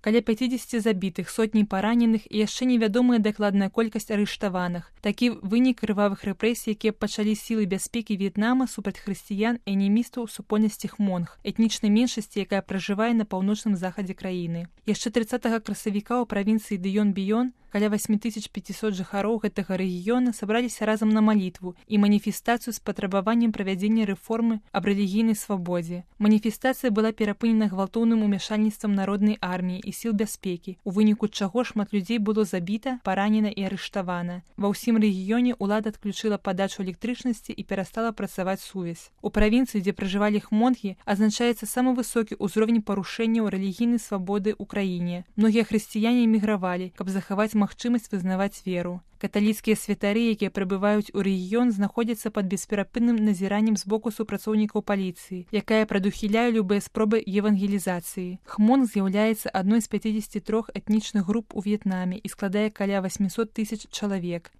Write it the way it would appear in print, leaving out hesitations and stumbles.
Каля 50 забітых, сотні параненых і яшчэ невядомая дакладная колькасць арыштаваных. Такі вынік крывавых рэпрэсій, якія пачалі сілы бяспекі В'етнама супраць хрысціян і анімістаў супольнасці хмонг, этнічнай меншасці, якая пражывае на паўночным захадзе краіны. Яшчэ 30 красавіка ў правінцыі Дыён-Біён каля 8500 жыхароў гэтага рэгіёна сабраліся разам на малітву і маніфестацыю з патрабаваннем правядзення рэформы аб рэлігійнай свабодзе. Маніфестацыя была перапынена гвалтоўным умяшальніцтвам народнай арміі і сіл бяспекі, у выніку чаго шмат людзей было забіта, паранена і арыштавана. Ва ўсім рэгіёне ўлада адключыла падачу электрычнасці і перастала працаваць сувязь. У правінцыі, дзе пражывалі хмонгі, азначаецца самы высокі ўзровень парушэнняў рэлігійнай свабоды ў краіне. Многія хрысціяне эмігравалі, каб захаваць магчымасць вызнаваць веру. Каталіцкія святары, якія прыбываюць у рэгіён, знаходзяцца пад бесперапынным назіраннем з боку супрацоўнікаў паліцыі, якая прадухіляе любыя спробы евангелізацыі. Хмон з'яўляецца адной з 53 этнічных груп у В'етнаме і складае каля 800 000 чалавек.